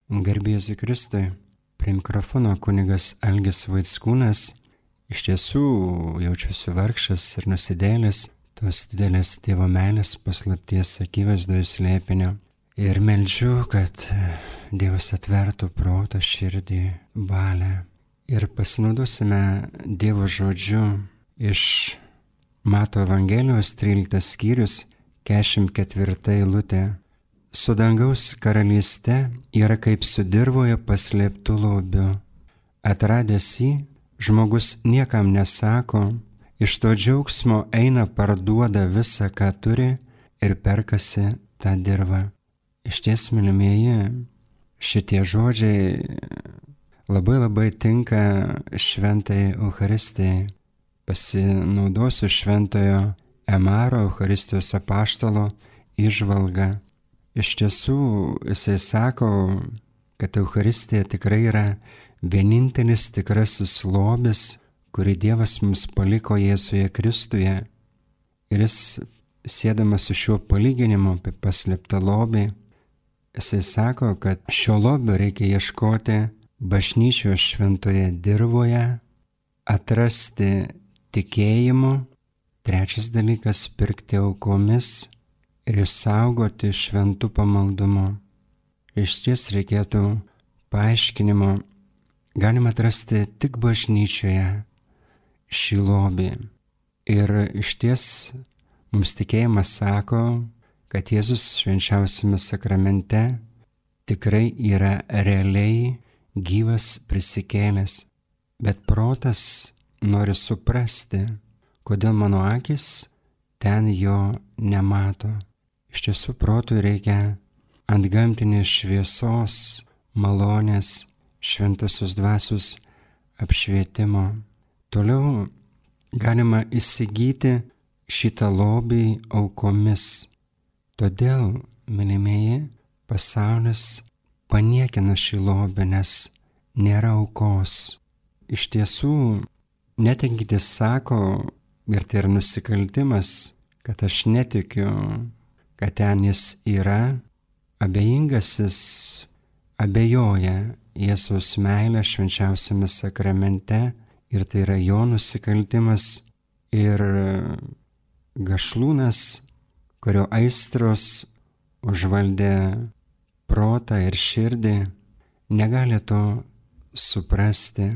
Garbė Jėzui Kristui, prie mikrofono kunigas Algis Vaickūnas. Iš tiesų jaučiuosi vargšas ir nusidėlis tos didelės Dievo meilės paslapties akivaizdoje slėpinio. Ir meldžiu, kad Dievas atvertų protą, širdį, valią. Ir pasinaudosime Dievo žodžiu iš Mato Evangelijos 13 skyrius, 44 eilutė. Su dangaus karalyste yra kaip su dirvoje paslėptų lobiu. Atradęs jį, žmogus niekam nesako, iš to džiaugsmo eina parduoda visą, ką turi ir perkasi tą dirvą. Išties, mylimieji, šitie žodžiai labai tinka šventai Eucharistijai. Pasinaudosiu šventojo Emaro Eucharistijos apaštalo įžvalgą. Iš tiesų, jisai sako, kad Eucharistija tikrai yra vienintelis tikrasis lobis, kurį Dievas mums paliko Jėzuje Kristuje. Ir jis, siedamas su šiuo palyginimu apie paslėptą lobį, jisai sako, kad šio lobio reikia ieškoti bažnyčios šventoje dirvoje, atrasti tikėjimu, trečias dalykas - pirkti aukomis ir išsaugoti šventų pamaldumu. Išties reikėtų paaiškinimo, galima atrasti tik bažnyčioje šį lobį. Ir išties mums tikėjimas sako, kad Jėzus švenčiausiame sakramente tikrai yra realiai gyvas prisikėlęs, bet protas nori suprasti, kodėl mano akis ten jo nemato. Iš tiesų, protui reikia antgamtinės šviesos, malonės, šventosios dvasios apšvietimo. Toliau galima įsigyti šitą lobį aukomis. Todėl, mylimieji, pasaulis paniekina šį lobį, nes nėra aukos. Iš tiesų, netinkintis sako, ir tai yra nusikaltimas, kad aš netikiu, kad ten jis yra. Abejingasis abejoja Jėzaus meilę švenčiausiame sakramente ir tai yra jo nusikaltimas. Ir gašlūnas, kurio aistros užvaldė protą ir širdį, negali to suprasti.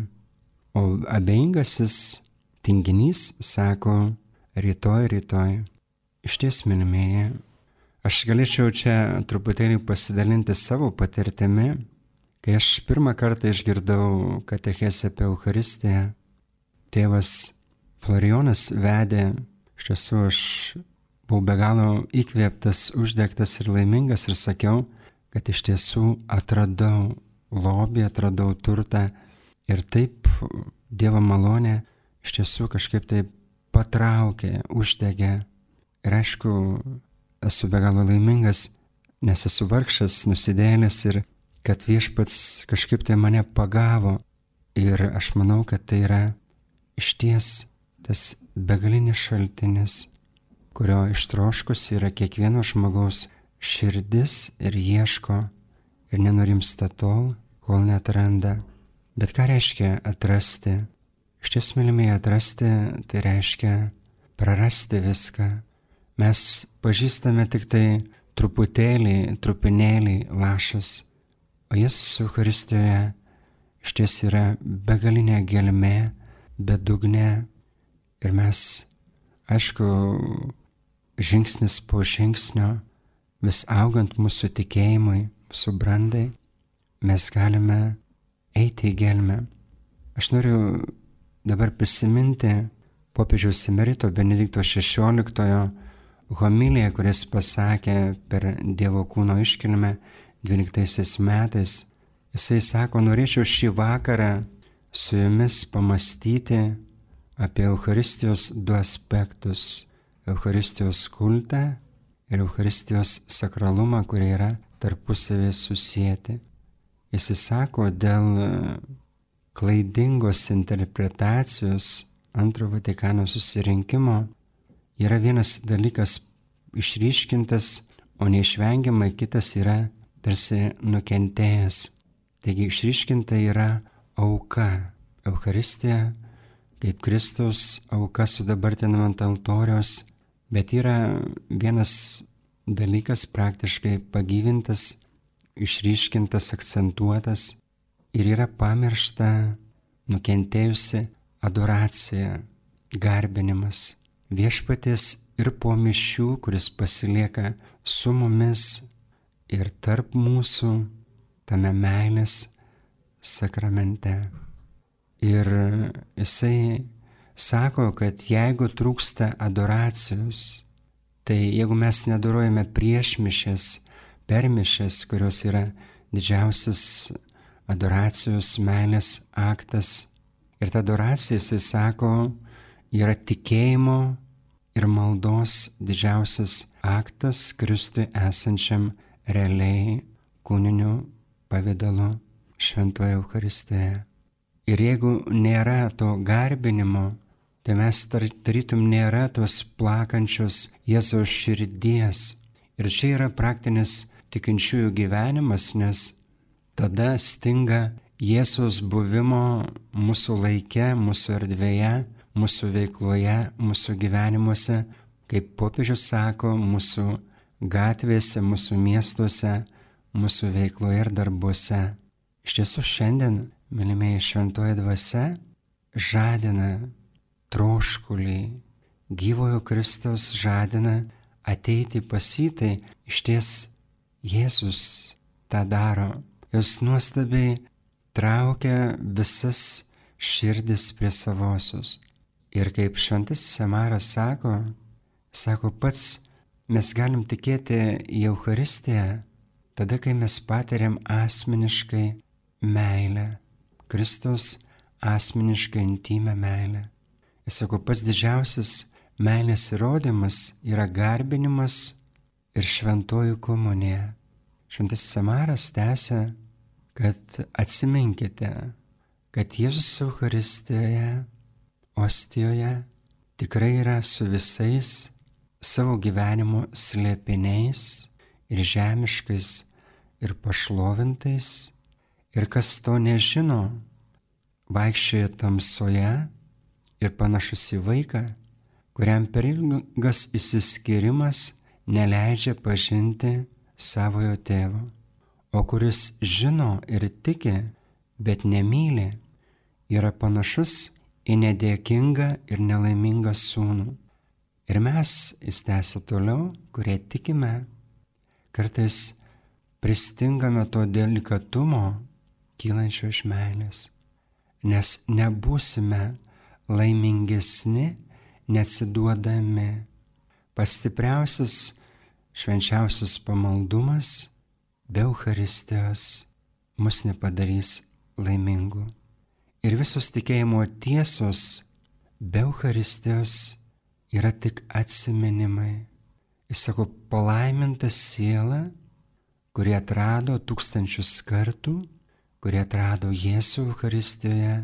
O abejingasis tinginys sako rytoj. Išties, mylimieji, aš galėčiau čia truputėlį pasidalinti savo patirtimi. Kai aš pirmą kartą išgirdau katechezę apie Eucharistiją, tėvas Florijonas vedė. Iš tiesų, aš buvau be galo įkvėptas, uždegtas ir laimingas ir sakiau, kad iš tiesų atradau lobį, atradau turtą ir taip Dievo malonė iš tiesų kažkaip taip patraukė, uždegė. Ir aišku, esu be galo laimingas, nes esu vargšas, nusidėjėlis ir kad viešpats kažkaip tai mane pagavo. Ir aš manau, kad tai yra išties tas begalinis šaltinis, kurio ištroškus yra kiekvieno žmogaus širdis ir ieško ir nenurimsta tol, kol neatranda. Bet ką reiškia atrasti? Išties, mylimieji, atrasti tai reiškia prarasti viską. Mes pažįstame tik tai truputėlį, trupinėlį lašas, o Jėzus Eucharistijoje išties yra begalinė gelmė, bedugnė. Ir mes, aišku, žingsnis po žingsnio, vis augant mūsų tikėjimui, mūsų brandai, mes galime eiti į gelmę. Aš noriu dabar prisiminti popiežiaus emerito Benedikto XVI homiliją, kuris pasakė per Dievo kūno iškilmę 12 metais. Jisai sako, norėčiau šį vakarą su jumis pamastyti apie Eucharistijos du aspektus - Eucharistijos kultą ir Eucharistijos sakralumą, kurie yra tarpusavėje susijęti. Jis sako, dėl klaidingos interpretacijos Antrojo Vatikano susirinkimo yra vienas dalykas išryškintas, o neišvengiamai kitas yra tarsi nukentėjęs. Taigi išryškinta yra auka. Eucharistija kaip Kristaus auka sudabartinama ant altoriaus, bet yra vienas dalykas praktiškai pagyvintas, išryškintas, akcentuotas ir yra pamiršta, nukentėjusi adoracija, garbinimas. Viešpaties ir po mišių, kuris pasilieka su mumis ir tarp mūsų tame meilės sakramente. Ir jisai sako, kad jeigu trūksta adoracijos, tai jeigu mes nedorojame prieš mišes, per mišes, kurios yra didžiausias adoracijos meilės aktas, ir ta adoracija, jisai sako, yra tikėjimo ir maldos didžiausias aktas Kristui esančiam realiai kūniniu pavidalu šventoje Eucharistijoje. Ir jeigu nėra to garbinimo, tai mes tarytum nėra tos plakančios Jėzaus širdies. Ir čia yra praktinis tikinčiųjų gyvenimas, nes tada stinga Jėzaus buvimo mūsų laike, mūsų erdvėje, mūsų veikloje, mūsų gyvenimuose, kaip popiežius sako, mūsų gatvėse, mūsų miestuose, mūsų veikloje ir darbuose. Iš tiesų šiandien, mylimieji, šventoji dvasia žadina troškulį, gyvojo Kristaus žadina ateiti pas jį, tai išties Jėzus tą daro. Jis nuostabiai traukia visas širdis prie savosios. Ir kaip šventasis Amaras sako pats, mes galim tikėti į Eucharistiją tada, kai mes patiriam asmeniškai meilę, Kristaus asmeniškai intymę meilę. Jis sako, pats didžiausias meilės įrodymas yra garbinimas ir šventoji komunija. Šventasis Amaras tęsia, kad atsiminkite, kad Jėzus Eucharistijoje, ostijoje tikrai yra su visais savo gyvenimo slėpiniais ir žemiškais ir pašlovintais, ir kas to nežino, vaikščioja tamsoje ir panašus į vaiką, kuriam per ilgas išsiskyrimas neleidžia pažinti savojo tėvo, o kuris žino ir tiki, bet nemyli, yra panašus į nedėkingą ir nelaimingą sūnų. Ir mes, jis tęsia toliau, kurie tikime, kartais pristingame to delikatumo kylančio iš meilės, nes nebūsime laimingesni, neatsiduodami. Pats stipriausias, švenčiausias pamaldumas be Eucharistijos mus nepadarys laimingų. Ir visos tikėjimo tiesos be Eucharistijos yra tik atsiminimai. Jis sako, palaiminta siela, kurie atrado tūkstančius kartų, kurie atrado Jėzų Eucharistijoje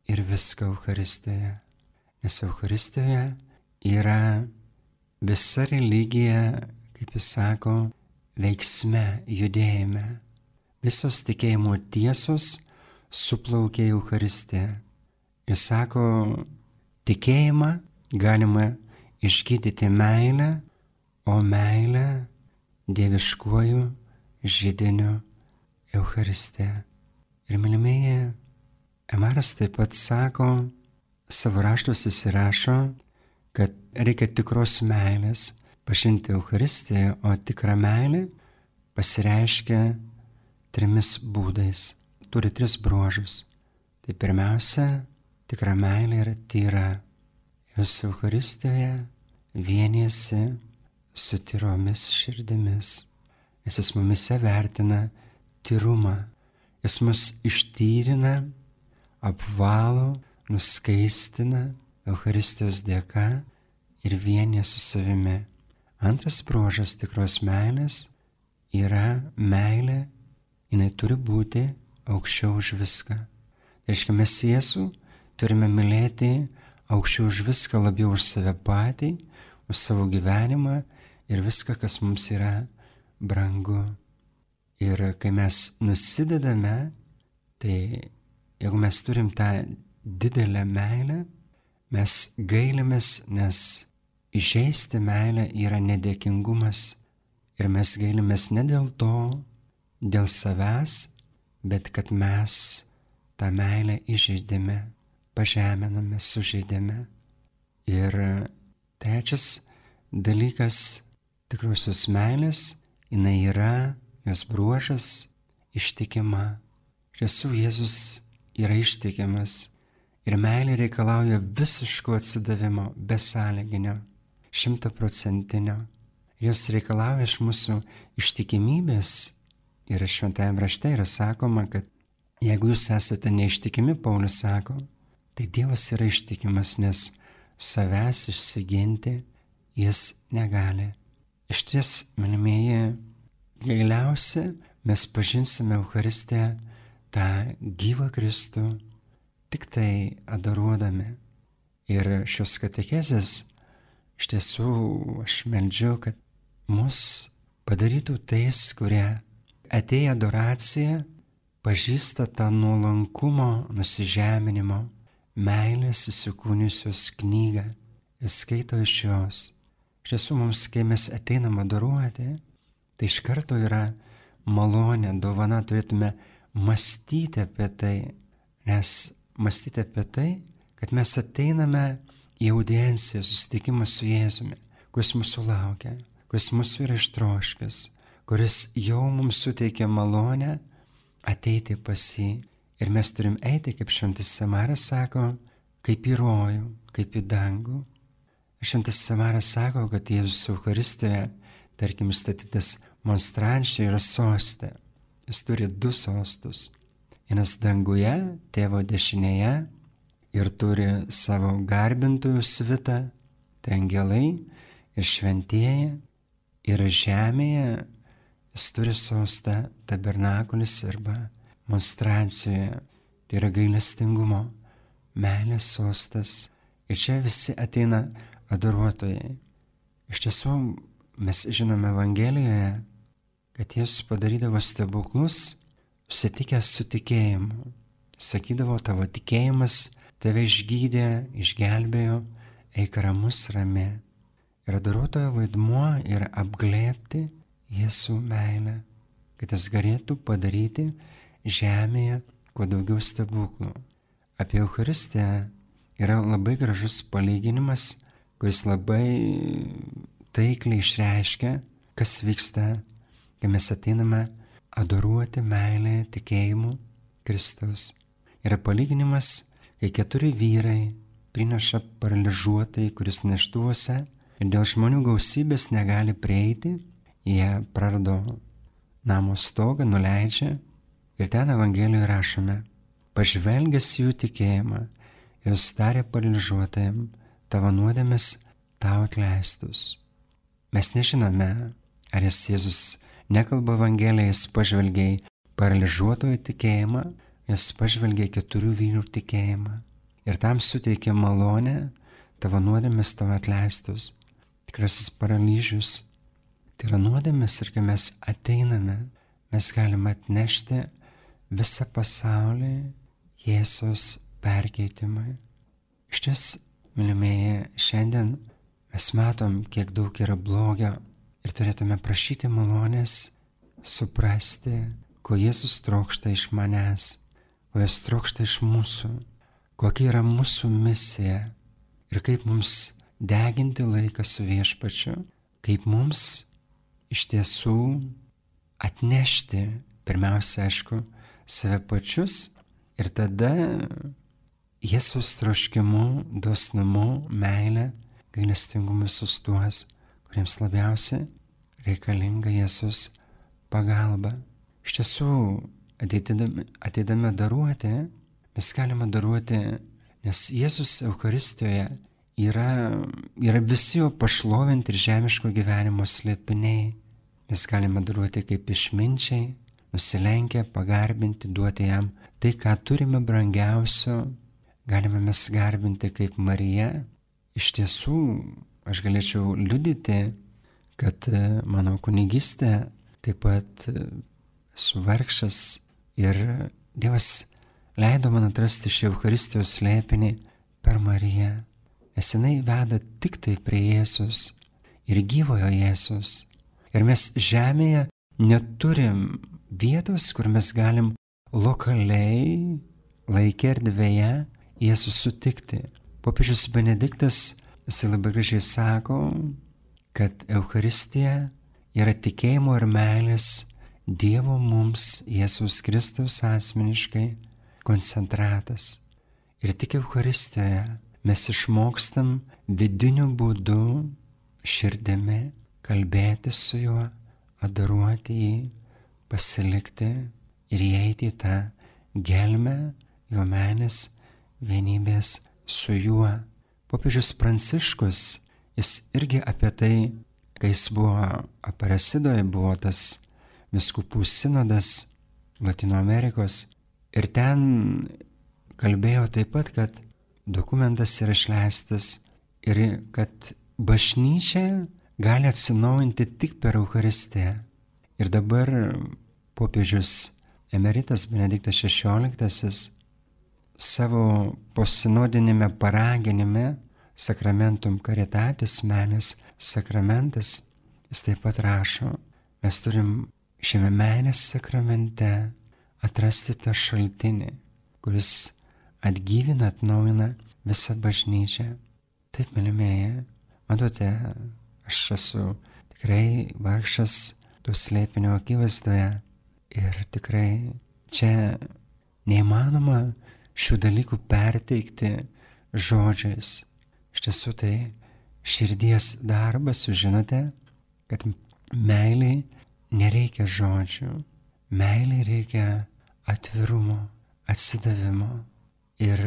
ir viską Eucharistijoje. Nes Eucharistijoje yra visa religija, kaip jis sako, veiksme, judėjime. Visos tikėjimo tiesos suplaukia į Eucharistiją. Jis sako, tikėjimą galima išgydyti meilę, o meilę dieviškuoju židiniu Eucharistija. Ir mylimieji, Amaras taip pat sako, savo raštuose įsirašo, kad reikia tikros meilės pažinti Eucharistiją, o tikra meilė pasireiškia 3 būdais. Turi 3 bruožus. Tai pirmiausia, tikra meilė yra tyra. Jūs Eucharistijoje vienijasi su tyromis širdimis, nes jis mumise vertina tyrumą. Jis mus ištyrina, apvalo, nuskaistina Eucharistijos dėka ir vienija su savimi. Antras bruožas tikros meilės yra meilė, jinai turi būti aukščiau už viską. Tai reiškia, mes Jėzų turime mylėti aukščiau už viską, labiau už save patį, už savo gyvenimą ir viską, kas mums yra brangu. Ir kai mes nusidedame Tai jeigu mes turim tą didelę meilę, mes gailimės, nes įžeisti meilę yra nedėkingumas ir mes gailimės ne dėl to, dėl savęs, bet kad mes tą meilę įžeidėme, pažeminame, sužeidėme. Ir trečias dalykas tikrosios meilės, jinai yra, jos bruožas, ištikima. Iš tiesų Jėzus yra ištikimas ir meilė reikalauja visiško atsidavimo, besąlyginio, 100%. Jos reikalauja iš mūsų ištikimybės. Ir šventajame rašte yra sakoma, kad jeigu jūs esate neištikimi, Paulius sako, tai Dievas yra ištikimas, nes savęs išsiginti jis negali. Iš ties, mylimieji, giliausia mes pažinsime Eucharistiją, tą gyvą Kristų, tik tai adoruodami. Ir šios katechezės, iš tiesų aš meldžiu, kad mus padarytų tais, kurie atėję adoraciją, pažįsta tą nuolankumo, nusižeminimo, meilės įsikūniusios knygą ir skaito iš jos. Iš tiesų mums, kai mes ateinam adoruoti, tai iš karto yra malonė, dovana, turėtume mąstyti apie tai, nes mąstyti apie tai, kad mes ateiname į audienciją, susitikimą su Jėzumi, kuris mūsų laukia, kuris mūsų yra ištroškęs, kuris jau mums suteikia malonę ateiti pas jį. Ir mes turim eiti, kaip šventas Samaras sako, kaip į rojų, kaip į dangų. Šventas Samaras sako, kad Jėzus Eucharistijoje, tarkim, statytas monstrančiai yra soste. Jis turi 2 sostus. Vienas danguje, tėvo dešinėje, ir turi savo garbintojų svitą, tai angelai ir šventieji, ir žemėje jis turi sostą tabernakulis arba monstrancijoje, tai yra gailestingumo, meilės sostas. Ir čia visi ateina adoruotojai. Iš tiesų, mes žinome Evangelijoje, kad Jėzus padarydavo stebuklus, susitikęs su tikėjimu. Sakydavo, tavo tikėjimas tave išgydė, išgelbėjo, eik ramus, rami. Ir adoruotojo vaidmuo yra apglėbti Jėzų meilę, kad jis galėtų padaryti žemėje kuo daugiau stebuklų. Apie Eucharistiją yra labai gražus palyginimas, kuris labai taikliai išreiškia, kas vyksta, kai mes ateiname adoruoti meilę tikėjimu Kristaus. Yra palyginimas, kai 4 vyrai prineša paralyžiuotai, kuris neštuose ir dėl žmonių gausybės negali prieiti, jie prarado namo stogą, nuleidžia ir ten Evangelijoje rašome, pažvelgęs jų tikėjimą, jis tarė paralyžiuotajam, tavo nuodėmės tau atleistus. Mes nežinome, ar Jėzus nekalba Evangelijoje, jis pažvelgė į paralyžiuotojo tikėjimą, jis pažvelgė į 4 vyrų tikėjimą ir tam suteikė malonę, tavo nuodėmės tavo atleistus. Tikrasis paralyžius tai yra nuodėmės ir kai mes ateiname, mes galime atnešti visą pasaulį Jėzaus perkeitimui. Iš ties, mylimieji, šiandien mes matom, kiek daug yra blogio ir turėtume prašyti malonės suprasti, ko Jėzus trokšta iš manęs, ko jis trokšta iš mūsų, kokia yra mūsų misija ir kaip mums deginti laiką su Viešpačiu, kaip mums iš tiesų atnešti, pirmiausia, aišku, save pačius ir tada Jėzaus troškimu, dosnumu, meilę, gailestingumu visus tuos, kuriems labiausiai reikalinga Jėzus pagalba. Iš tiesų, ateidami daruoti, mes galime daruoti, nes Jėzus Eucharistijoje yra visi jo pašlovinti ir žemiško gyvenimo slėpiniai. Mes galime daruoti kaip išminčiai, nusilenkę, pagarbinti, duoti jam tai, ką turime brangiausio. Galime mes garbinti kaip Marija. Iš tiesų, aš galėčiau liudyti, kad mano kunigystė taip pat esu vargšas ir Dievas leido man atrasti šį Eucharistijos slėpinį per Mariją, nes jinai veda tik tai prie Jėzus ir gyvojo Jėzus. Ir mes žemėje neturim vietos, kur mes galim lokaliai, laike erdvėje Jėzų sutikti. Popiežius Benediktas, jisai labai gražiai sako, kad Eucharistija yra tikėjimo ir meilės Dievo mums Jėzaus Kristaus asmeniškai koncentratas. Ir tik Eucharistijoje mes išmokstam vidiniu būdu, širdimi, kalbėti su juo, adoruoti jį, pasilikti ir įeiti į tą gelmę jo meilės vienybės su juo. Popiežius Pranciškus, jis irgi apie tai, kai jis buvo Aparecidoje, buvo tas vyskupų sinodas Latino Amerikos, ir ten kalbėjo taip pat, kad dokumentas yra išleistas ir kad bažnyčia gali atsinaujinti tik per Eucharistiją. Ir dabar popiežius emeritas Benediktas XVI savo posinodinėme paraginime Sacramentum Caritatis, meilės sakramentas, jis taip pat rašo, mes turim šiame meilės sakramente atrasti tą šaltinį, kuris atgyvina, atnaujina visą bažnyčią. Taip, mylimieji, matote, aš esu tikrai vargšas to slėpinio akivaizdoje ir tikrai čia neįmanoma šių dalykų perteikti žodžiais. Iš tiesų tai širdies darbas, jūs žinote, kad meiliai nereikia žodžių, meiliai reikia atvirumo, atsidavimo. Ir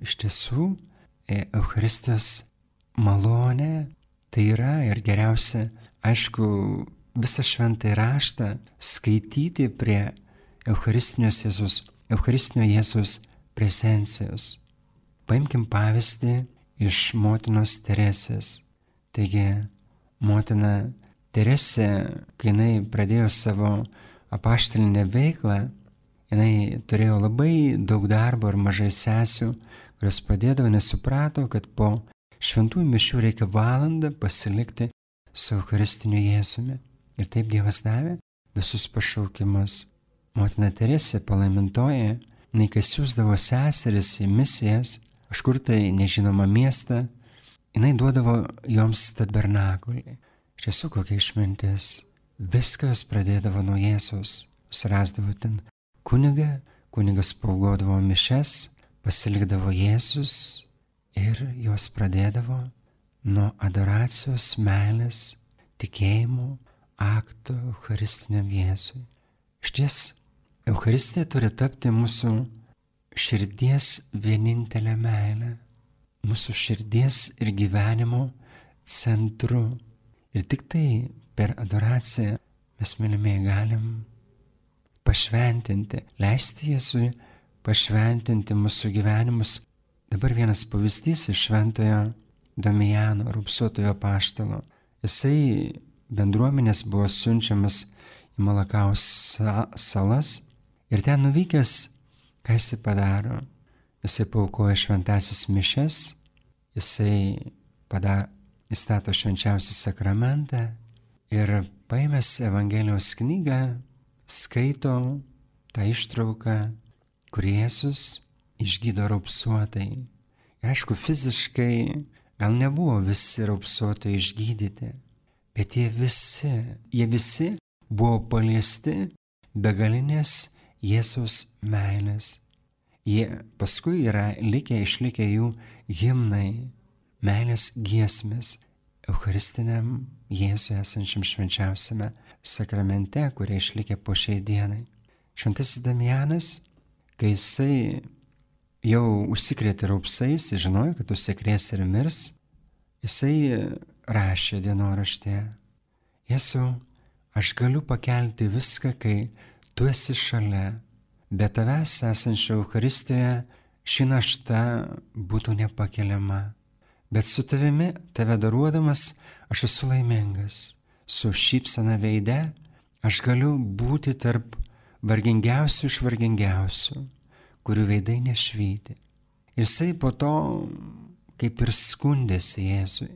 iš tiesų Eucharistijos malonė tai yra ir geriausia, aišku, visą šventąjį raštą skaityti prie Eucharistinio Jėzaus prezencijos. Paimkim pavyzdį iš motinos Teresės. Taigi, motina Teresė, kai jinai pradėjo savo apaštalinę veiklą, jinai turėjo labai daug darbo ir mažai sesių, kurios padėdavo, nes suprato, kad po šventųjų mišių reikia valandą pasilikti su Eucharistiniu Jėzumi. Ir taip Dievas davė visus pašaukimus. Motina Teresė palaimintoji, jinai kai siųsdavo seseris į misijas, kažkur tai nežinoma miestą, jinai duodavo joms tabernakulį. Iš tiesų kokia išmintis. Viskas pradėdavo nuo Jėzaus. Surasdavo ten kunigą, kunigas paugodavo mišes, pasilikdavo Jėzus ir jos pradėdavo nuo adoracijos, meilės, tikėjimo, akto Eucharistiniam Jėzui. Šties Eucharistija turi tapti mūsų širdies vienintelė meilė, mūsų širdies ir gyvenimo centru. Ir tik tai per adoraciją mes, mylimieji, galim pašventinti, leisti Jėzui pašventinti mūsų gyvenimus. Dabar vienas pavyzdys iš šventojo Damijano, raupsuotojo apaštalo. Jisai bendruomenės buvo siunčiamas į Malakaus salas ir ten nuvykęs, ką jisai padaro? Jisai paaukoja šventasis mišes, jisai įstato švenčiausią sakramentą ir paėmęs Evangelijos knygą skaito tą ištrauką, kur Jėzus išgydo raupsuotai. Ir aišku, fiziškai gal nebuvo visi raupsuotai išgydyti, bet jie visi buvo paliesti begalinės Jėzaus meilės. Jie paskui yra išlikę jų himnai, meilės giesmės Eucharistiniam Jėzui esančiam švenčiausiame sakramente, kurie išlikę po šiai dienai. Šventasis Damianas, kai jisai jau užsikrėtė raupsais, žinojo, kad užsikrės ir mirs, jisai rašė dienoraštėje: Jėzau, aš galiu pakelti viską, kai tu esi šalia, bet tavęs esančio Eucharistijoje ši našta būtų nepakeliama. Bet su tavimi, tave daruodamas, aš esu laimingas. Su šypsena veide aš galiu būti tarp vargingiausių iš vargingiausių, kurių veidai nešvyti. Ir jisai po to kaip ir skundėsi Jėzui.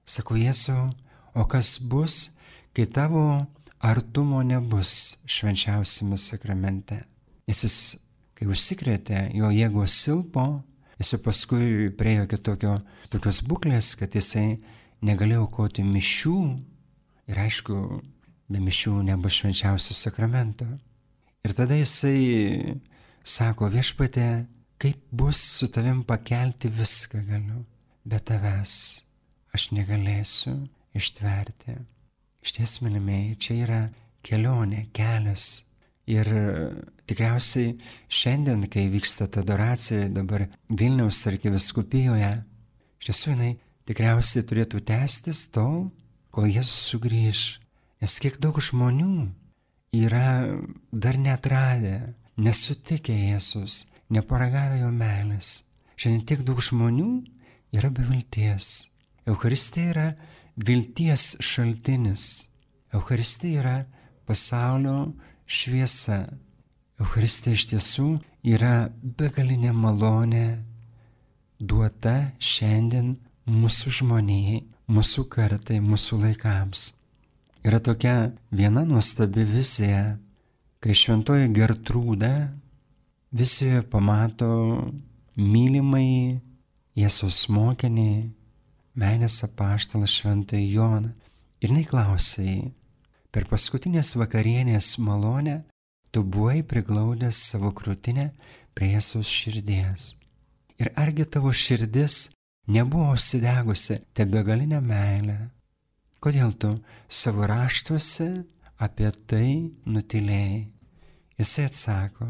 Sako, Jėzau, o kas bus, kai tavo artumo nebus švenčiausiame sakramente? Nes jis, kai užsikrėtė, jo jėgos silpo, jis jau paskui priejo tokios būklės, kad jisai negalėjo aukoti mišių ir aišku, be mišių nebus švenčiausio sakramento. Ir tada jisai sako, Viešpatie, kaip bus su tavim pakelti viską galiu, bet tavęs aš negalėsiu ištverti. Išties, mylimieji, čia yra kelionė, kelias. Ir tikriausiai šiandien, kai vyksta ta adoracija dabar Vilniaus arkivyskupijoje, iš tiesų jinai tikriausiai turėtų tęstis tol, kol Jėzus sugrįš. Nes kiek daug žmonių yra dar neatradę, nesutikę Jėzus, neparagavę jo meilės. Šiandien tiek daug žmonių yra be vilties. Eucharistija yra vilties šaltinis. Eucharistija yra pasaulio šviesa. Eucharistija iš tiesų yra begalinė malonė duota šiandien mūsų žmonijai, mūsų kartai, mūsų laikams. Yra tokia viena nuostabi vizija, kai šventoji Gertrūda vizijoje pamato mylimąjį Jėzaus mokinį, meilės apaštalą šventąjį Joną. Ir jinai klausia jį, per paskutinės vakarienės malonę tu buvai priglaudęs savo krūtinę prie Jėzaus širdies. Ir argi tavo širdis nebuvo užsidegusi te begalinę meilę? Kodėl tu savo raštuose apie tai nutylėjai? Jisai atsako,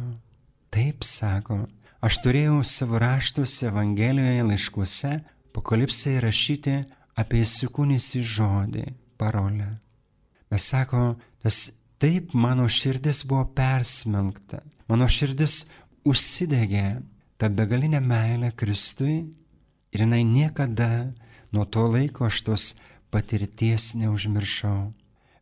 taip sako, aš turėjau savo raštuose, Evangelijoje, laiškuose, Apokalipsėje rašyti apie įsikūnysį žodį, parolę. Bet sako, taip mano širdis buvo persmelkta, mano širdis užsidegė tą begalinę meilę Kristui ir jinai niekada nuo to laiko aš tos patirties neužmiršau.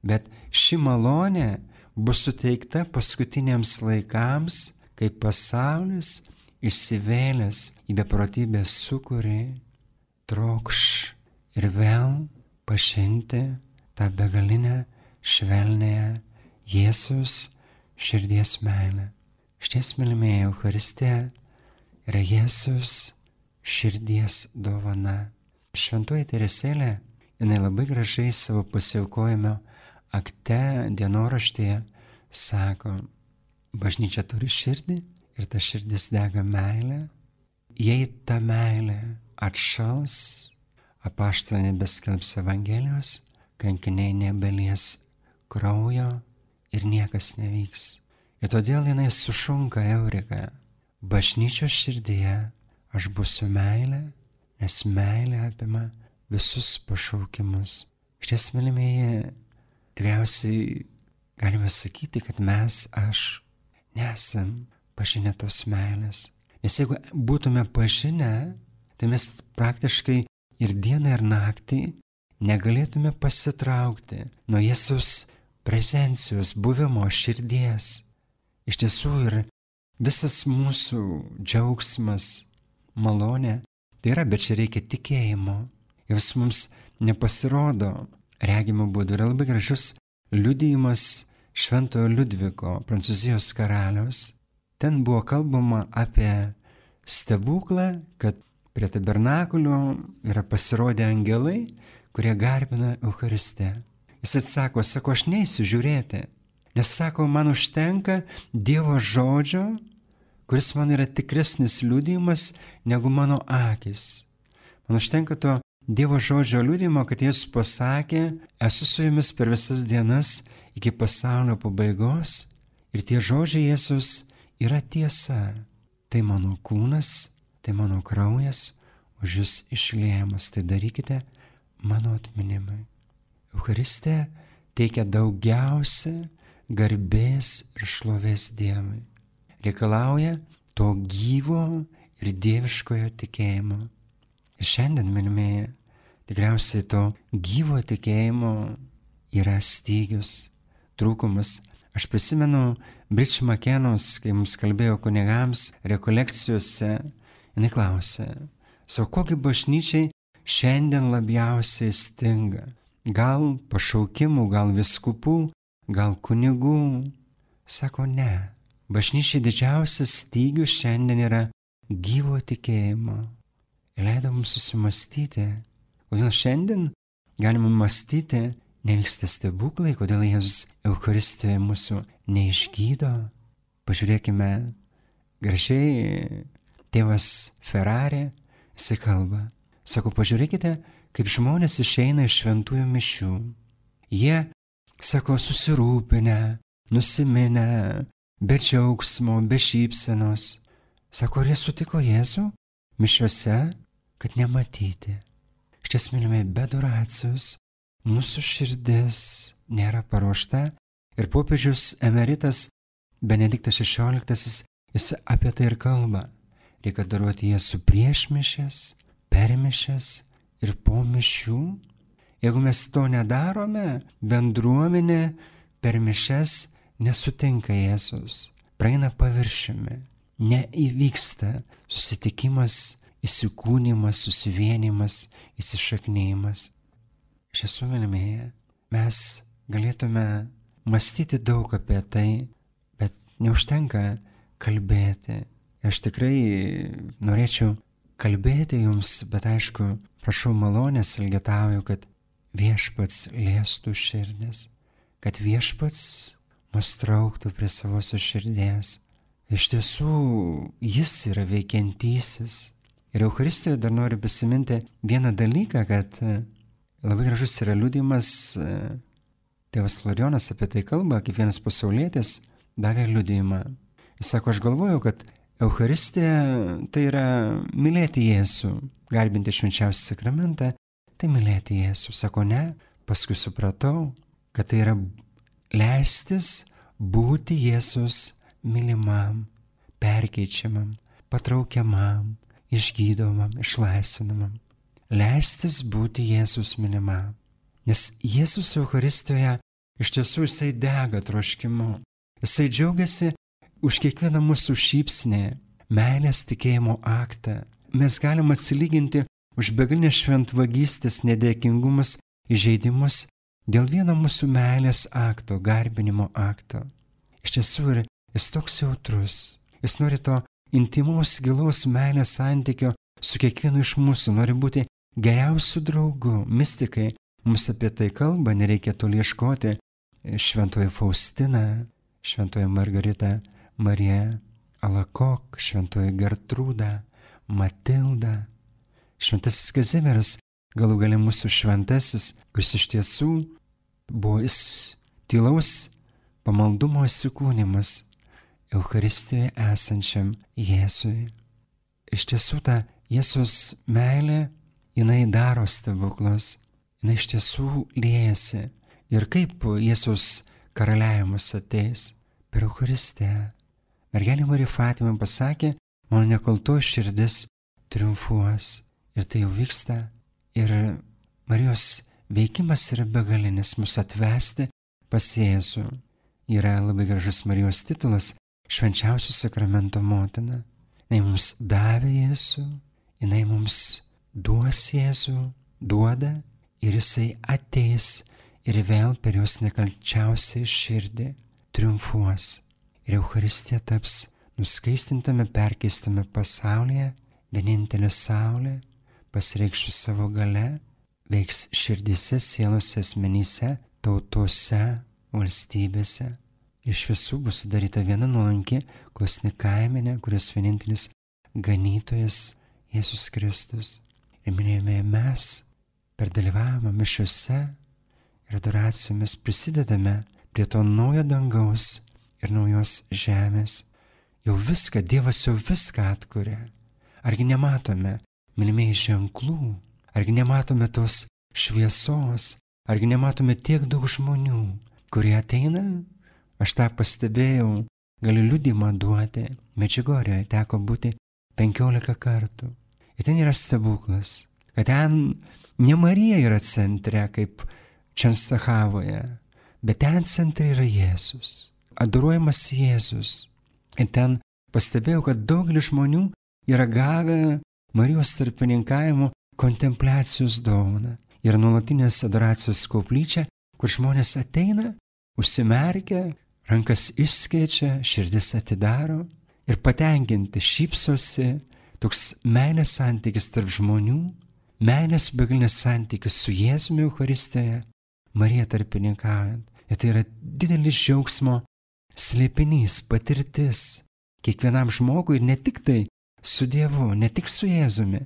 Bet ši malonė bus suteikta paskutiniams laikams, kai pasaulis išsivėlęs į beprotybės sūkurį trokš ir vėl pažinti tą begalinę švelnąją Jėzus širdies meilę. Šties, mylimieji, Eucharistija yra Jėzus širdies dovana. Šventoji Teresėlė, jinai labai gražiai savo pasiaukojimo akte, dienoraštyje sako, bažnyčia turi širdį ir ta širdis dega meilę. Jei ta meilė atšals, apaštalai nebeskelbs Evangelijos, kankiniai nebelies kraujo ir niekas nevyks. Ir todėl jinai sušunka Eurika. Bažnyčios širdyje aš būsiu meilė, nes meilė apima visus pašaukimus. Šties, mylimieji, tikriausiai galime sakyti, kad mes, aš, nesam pažinę tos meilės. Nes jeigu būtume pažinę, tai mes praktiškai ir dieną, ir naktį negalėtume pasitraukti nuo Jėzaus prezencijos, buvimo, širdies. Iš tiesų ir visas mūsų džiaugsmas, malonė, tai yra, bet čia reikia tikėjimo. Jis mums nepasirodo regimo būdu. Yra labai gražus liudijimas Šventojo Liudviko, Prancūzijos karaliaus. Ten buvo kalbama apie stebuklą, kad prie tabernakulio yra pasirodę angelai, kurie garbina Eucharistiją. Jis atsako, aš neisiu žiūrėti, nes sako, man užtenka Dievo žodžio, kuris man yra tikresnis liudijimas negu mano akis. Man užtenka to Dievo žodžio liudijimo, kad Jėzus pasakė, esu su jumis per visas dienas iki pasaulio pabaigos ir tie žodžiai Jėzus yra tiesa. Tai mano kūnas, tai mano kraujas už jūs išliejamas, tai darykite mano atminimui. Eucharistija teikia daugiausia garbės ir šlovės Dievui. Reikalauja to gyvo ir dieviškojo tikėjimo. Ir šiandien, mylimieji, tikriausiai to gyvo tikėjimo yra stygius, trūkumas. Aš prisimenu Bridge McKennos, kai mums kalbėjo kunigams rekolekcijose, jinai klausė, kogi bažnyčiai šiandien labiausiai stinga? Gal pašaukimų, gal vyskupų, gal kunigų? Sako, ne. Bažnyčiai didžiausias stygius šiandien yra gyvo tikėjimo. Ir leido mums susimastyti, kodėl šiandien galime mąstyti, nevyksta stebuklai, kodėl Jėzus Eucharistijoje mūsų neišgydo. Pažiūrėkime, gražiai tėvas Ferrari, jisai kalba. Sako, pažiūrėkite, kaip žmonės išeina iš šventųjų mišių. Jie, sako, susirūpinę, nusiminę, be džiaugsmo, be šypsenos. Sako, ar jie sutiko Jėzų mišiuose, kad nematyti. Šties, mylimi, be adoracijos mūsų širdis nėra paruošta ir popiežius emeritas Benediktas XVI, jis apie tai ir kalba. Reikia adoruoti Jėzų prieš mišias, per mišias ir po mišių. Jeigu mes to nedarome, bendruomenė per mišias nesutinka Jėzus, praeina paviršiumi, neįvyksta susitikimas, įsikūnimas, susivienimas, įsišaknyjimas. Iš tiesų, mylimieji, mes galėtume mąstyti daug apie tai, bet neužtenka kalbėti. Aš tikrai norėčiau kalbėti jums, bet aišku, prašau malonės, elgetauju, kad viešpats liestų širdis, kad viešpats mus trauktų prie savosios širdies. Iš tiesų, jis yra veikiantysis. Ir Eucharistijoje dar noriu prisiminti vieną dalyką, kad labai gražus yra liudijimas, tėvas Florijonas apie tai kalba, kaip vienas pasaulietis davė liudijimą. Jis sako, aš galvojau, kad Eucharistija tai yra mylėti Jėzų, garbinti švenčiausią sakramentą, tai mylėti Jėzų. Sako, ne, paskui supratau, kad tai yra leistis būti Jėzus mylimam, perkeičiamam, patraukiamam, išgydomam, išlaisvinamam. Leistis būti Jėzus mylimam. Nes Jėzus Eucharistijoje iš tiesų jisai dega troškimu. Jisai džiaugiasi už kiekvieną mūsų šypsnį, meilės tikėjimo aktą. Mes galim atsilyginti už begalinę šventvagystės, nedėkingumus, įžeidimus dėl vieno mūsų meilės akto, garbinimo akto. Iš tiesų ir jis toks jautrus. Jis nori to intimaus, gilaus meilės santykio su kiekvienu iš mūsų, nori būti geriausių draugų. Mistikai mums apie tai kalba, nereikia toli ieškoti. Šventoji Faustina, šventoji Margarita Marija Alakok, šventoji Gertrūda, Matilda, šventasis Kazimieras, galų gale mūsų šventasis, kuris iš tiesų buvo tylaus pamaldumo įsikūnimas Eucharistijoje esančiam Jėzui. Iš tiesų ta Jėzus meilė, jinai daro stebuklus, jinai iš tiesų liejasi. Ir kaip Jėzus karaliavimas ateis? Per Eucharistiją. Mergelė Marija Fatima pasakė, mano nekaltoji širdis triumfuos. Ir tai jau vyksta. Ir Marijos veikimas yra begalinis mus atvesti pas Jėzų. Yra labai gražus Marijos titulas švenčiausio sakramento motina. Jinai mums davė Jėzų, jinai mums duos Jėzų, duoda ir jisai ateis ir vėl per jos nekalčiausią širdį triumfuos. Ir Eucharistija taps nuskaistintame, perkeistame pasaulyje, vienintelė saulė, pasireikštų savo gale, veiks širdise, sielose, asmenyse, tautose, valstybėse. Iš visų bus sudaryta viena nuolanki, klusni kaimenė, kurios vienintelis ganytojas Jėzus Kristus. Ir minėjome, mes per dalyvavimą mišiuose ir adoracijomis prisidedame prie to naujo dangaus ir naujos žemės. Jau viską, Dievas jau viską atkuria. Argi nematome, mylimieji, ženklų? Argi nematome tos šviesos? Argi nematome tiek daug žmonių, kurie ateina? Aš tą pastebėjau, galiu liudymą duoti. Medžiugorjoje teko būti 15 kartų. Ir ten yra stebuklas, kad ten ne Marija yra centre, kaip Čenstachavoje, bet ten centre yra Jėzus. adoruojamas Jėzus. Ir ten pastebėjau, kad daugelis žmonių yra gavę Marijos tarpininkavimo kontempliacijos dovaną. Ir nuolatinės adoracijos koplyčia, kur žmonės ateina, užsimerkia, rankas išskėčia, širdis atidaro ir patenkinti šypsosi, toks meilės santykis tarp žmonių, meilės begalinės santykis su Jėzumi Eucharistijoje, Marija tarpininkaujant. Ir tai yra didelis džiaugsmo slėpinys, patirtis kiekvienam žmogui, ne tik tai su Dievu, ne tik su Jėzumi,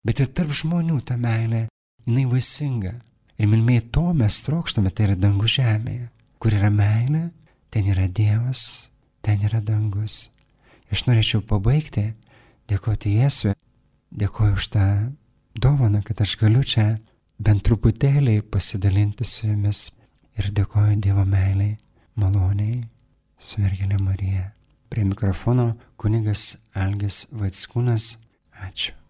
bet ir tarp žmonių ta meilė, jinai vaisinga. Ir mylimieji, to mes trokštame, tai yra dangus žemėje. Kur yra meilė, ten yra Dievas, ten yra dangus. Aš norėčiau pabaigti, dėkoti Jėzui, dėkoju už tą dovaną, kad aš galiu čia bent truputėlį pasidalinti su jumis ir dėkoju Dievo meiliai, maloniai, su mergelė Marija. Prie mikrofono kunigas Algis Vaickūnas. Ačiū.